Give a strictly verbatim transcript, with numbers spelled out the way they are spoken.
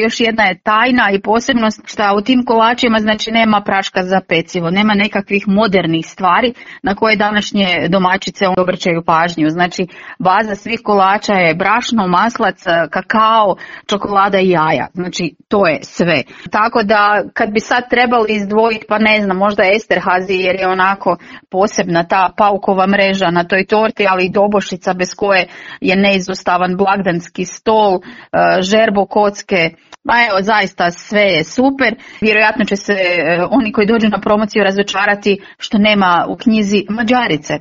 Još jedna je tajna i posebnost što u tim kolačima znači nema praška za pecivo, nema nekakvih modernih stvari na koje današnje domaćice obraćaju pažnju. Znači baza svih kolača je brašno, maslac, kakao, čokolada i jaja. Znači to je sve. Tako da kad bi sad trebali izdvojiti, pa ne znam, možda Esterhazy jer je onako posebna ta paukova mreža na toj torti, ali i dobošica bez koje je neizostavan blagdanski stol, žerbo kocke. Pa evo, zaista sve je super. Vjerojatno će se oni koji dođu na promociju razočarati što nema u knjizi Mađarice.